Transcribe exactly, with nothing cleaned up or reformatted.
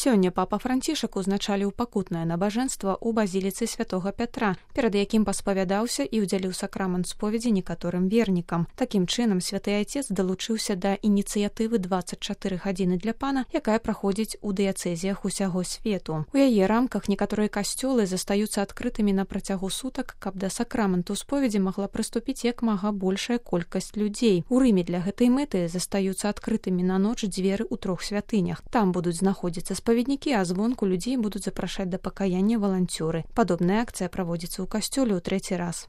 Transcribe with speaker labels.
Speaker 1: Сёння папа Францішак узначаліў пакутнае набажэнства ў базіліцы святога Пятра, перад якім паспавядаўся і ўдзяліў сакрамент споведзі некаторым вернікам. Такім чынам святы айцец далучыўся да ініцыятывы дваццаць чатыры гадзіны для пана, якая праходзіць у дыяцэзіях усяго свету. У яе рамках некаторыя касцёлы застаюцца адкрытымі на працягу сутак, каб да сакраменту споведзі магла прыступіць як мага большая колькасць людзей. У Рыме для гэтай мэты застаюцца адкрытымі на ноч дзверы ў трох святынях. Там будуць знаходзіцца спаведнікі, а звонку людзей будуць запрашаць да пакаяння валанцёры. Падобная акцыя праводзіцца ў касцёле ў трэці раз.